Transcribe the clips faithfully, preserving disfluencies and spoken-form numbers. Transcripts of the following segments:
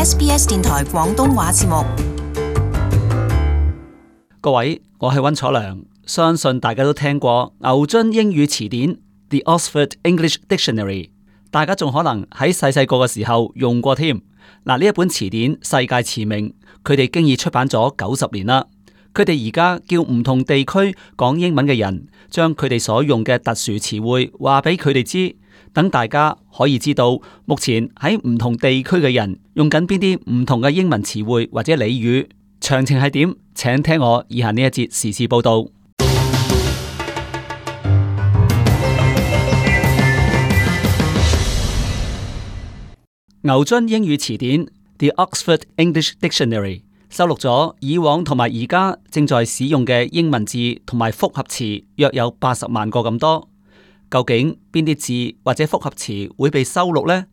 S B S 電台廣東話節目。各位，我係溫楚良，相信大家都聽過牛津英語詞典 The Oxford English Dictionary， 大家仲可能喺細細個嘅時候用過添。嗱，呢一本詞典世界馳名，佢哋經已出版咗九十年啦。佢哋而家叫唔同地區講英文嘅人，將佢哋所用嘅特殊詞彙話俾佢哋知，等大家可以知道目前喺唔同地區嘅人用緊邊啲唔同嘅英文詞彙或者俚語。詳情係點？請聽我以下呢一節時事報道。牛津英語詞典 The Oxford English Dictionary 收錄咗以往同埋而家正在使用嘅英文字同埋複合詞約有八十萬個咁多。究竟邊啲字或者複合詞會被收錄呢？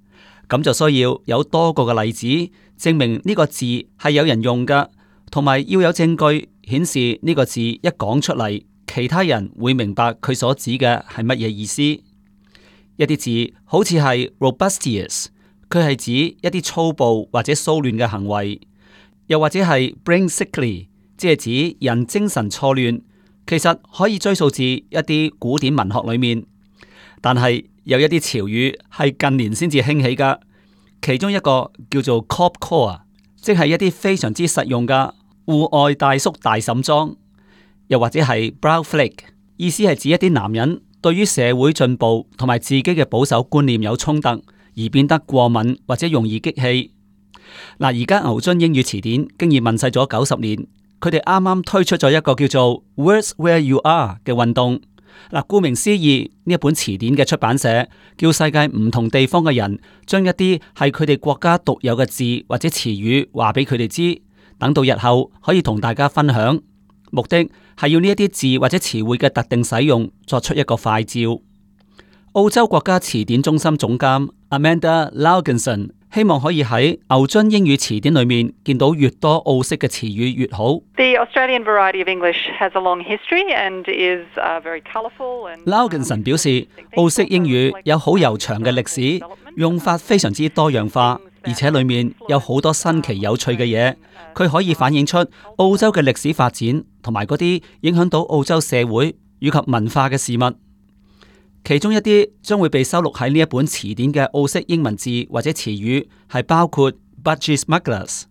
咁就需要有多個嘅例子證明呢個字係有人用㗎，同埋要有證據顯示呢個字一講出嚟，其他人會明白佢所指嘅係乜嘢意思。一啲字好似係 robustious， 佢係指一啲粗暴或者騷亂嘅行為。又或者係 brain sickly， 即係指人精神錯亂，其實可以追溯至一啲古典文學裏面。但係有一啲潮語係近年先至興起噶，其中一個叫做 cop core， 即係一啲非常之實用嘅戶外大叔大嬸裝。又或者係 brow flake， 意思係指一啲男人對於社會進步同埋自己嘅保守觀念有衝突，而變得過敏或者容易激氣。嗱，而家牛津英語詞典經已問世咗九十年，佢哋啱啱推出咗一個叫做 Words Where You Are 嘅運動。嗱，顧名思義，呢一本詞典嘅出版社叫世界唔同地方嘅人將一啲係佢哋國家獨有嘅字或者詞語話俾佢哋知，等到日後可以同大家分享。目的係要呢一啲字或者詞彙嘅特定使用作出一個快照。澳洲國家詞典中心總監 Amanda Laugenson希望可以喺牛津英語詞典裏面見到越多澳式嘅詞語越好。The Australian variety of English has a long history and is uh, very colourful and Laugenson 表示，澳式英語有好悠長嘅歷史，用法非常之多樣化，而且裏面有好多新奇有趣嘅嘢。佢可以反映出澳洲嘅歷史發展同埋嗰啲影響到澳洲社會以及文化嘅事物。其中一啲將會被收錄喺呢一本詞典嘅澳式英文字或者詞語係包括 budgie smugglers。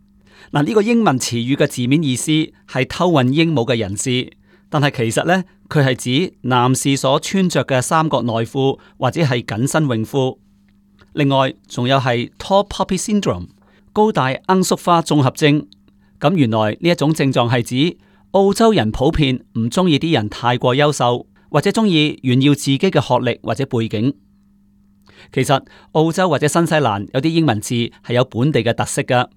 嗱，呢個英文詞語嘅字面意思係偷運鸚鵡嘅人士，但係其實呢，佢係指男士所穿着嘅三角內褲或者係緊身泳褲。另外仲有係 tall poppy syndrome 高大罌粟花綜合症。咁原來呢一種症狀係指澳洲人普遍唔中意啲人太過優秀，或者中意炫耀自己嘅學歷或者背景。其實澳洲或者新西蘭有啲英文字係有本地嘅特色㗎，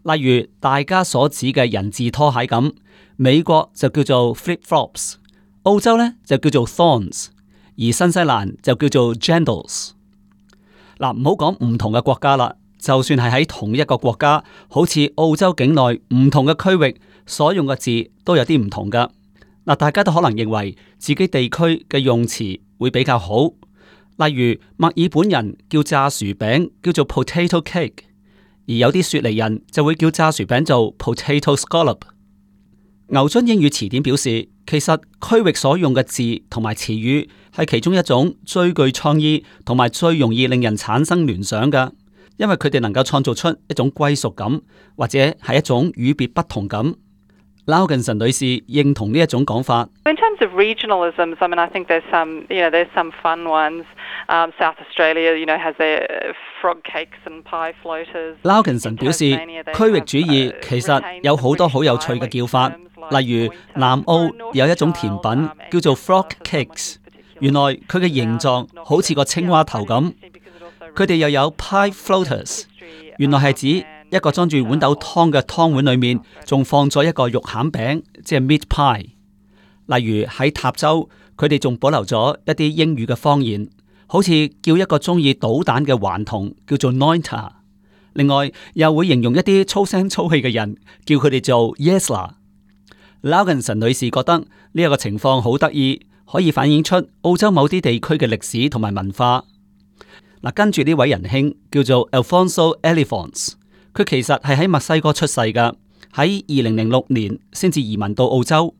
例如大家所指嘅人字拖鞋咁，美國就叫做 flip flops， 澳洲呢就叫做 thorns， 而新西蘭就叫做 jandals。嗱，唔好講唔同嘅國家啦，就算係喺同一個國家，好似澳洲境內唔同嘅區域所用嘅字都有啲唔同㗎。嗱，大家都可能認為自己地區嘅用詞會比較好，例如墨爾本人叫炸薯餅叫做 potato cake， 而有啲雪梨人就會叫炸薯餅做 potato scallop。牛津英語詞典表示，其實區域所用嘅字同埋詞語係其中一種最具創意同埋最容易令人產生聯想嘅，因為佢哋能夠創造出一種歸屬感，或者係一種與別不同感。Laugenson 女士認同呢一種講法。In terms of regionalisms, I mean, I think there's some, you know, there's some fun ones. Um, South Australia, you know, has their frog cakes and pie floaters. Laugenson 表示，區域主義其實有好多好有趣嘅叫法，例如南澳有一種甜品叫做 frog cakes， 原來佢嘅形狀好似個青蛙頭咁。佢哋又有 pie floaters， 原來係指一個裝住豌豆湯嘅湯碗裏面，仲放咗一個肉餡餅，即係 meat pie。例如喺塔州，佢哋仲保留咗一啲英語嘅方言，好似叫一個中意搗蛋嘅頑童叫做 Nointer。另外又會形容一啲粗聲粗氣嘅人，叫佢哋做 Yesler。Laugenson 女士覺得呢一個情況好得意，可以反映出澳洲某啲地區嘅歷史同埋文化。嗱，跟住呢位仁兄叫做 Alfonso Elefants。佢其實係喺墨西哥出世㗎，喺二零零六年先至移民到澳洲。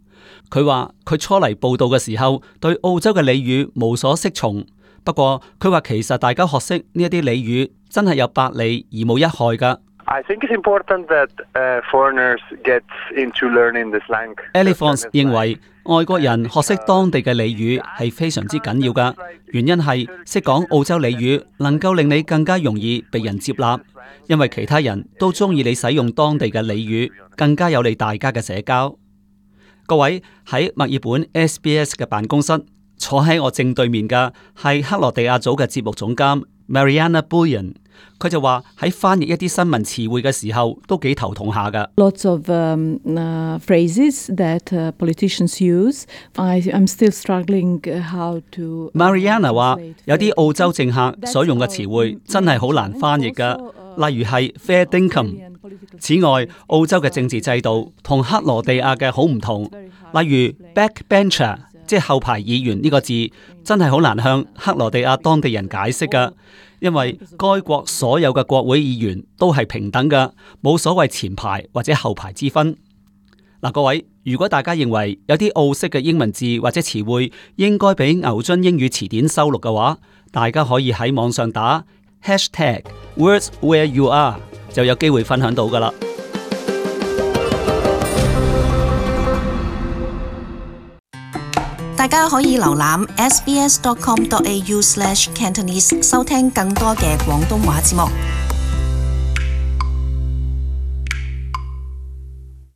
佢話佢初嚟報道嘅時候，對澳洲嘅俚語無所適從。不過佢話其實大家學識呢一啲俚語真係有百利而無一害㗎。I think it's important that uh, foreigners get into learning the slang. Elephants 認為外國人學識當地嘅俚語係非常之緊要㗎，原因係識講澳洲俚語能夠令你更加容易被人接納，因為其他人都中意你使用當地嘅俚語，更加有利大家嘅社交。各位，喺墨爾本 S B S 嘅辦公室坐喺我正對面嘅係克羅地亞組嘅節目總監 Mariana Bullion。佢就話喺翻譯一啲新聞詞彙嘅時候都幾頭痛下㗎。Lots of um, uh, phrases that uh, politicians use. I, I'm still struggling how to. Mariana 話有啲澳洲政客所用嘅詞彙真係好難翻譯㗎，例如係 fair dinkum。此外，澳洲嘅政治制度同克羅地亞嘅好唔同，例如 backbencher， 即係後排議員呢個字，真係好難向克羅地亞當地人解釋㗎。因為該國所有嘅國會議員都係平等嘅，冇所謂前排或者後排之分。嗱，各位，如果大家認為有啲澳式嘅英文字或者詞彙應該俾牛津英語詞典收錄嘅話，大家可以喺網上打 hashtag words where you are， 就有機會分享到㗎喇。大家可以瀏覽 s b s dot com dot a u slash cantonese 收聽更多嘅廣東話節目。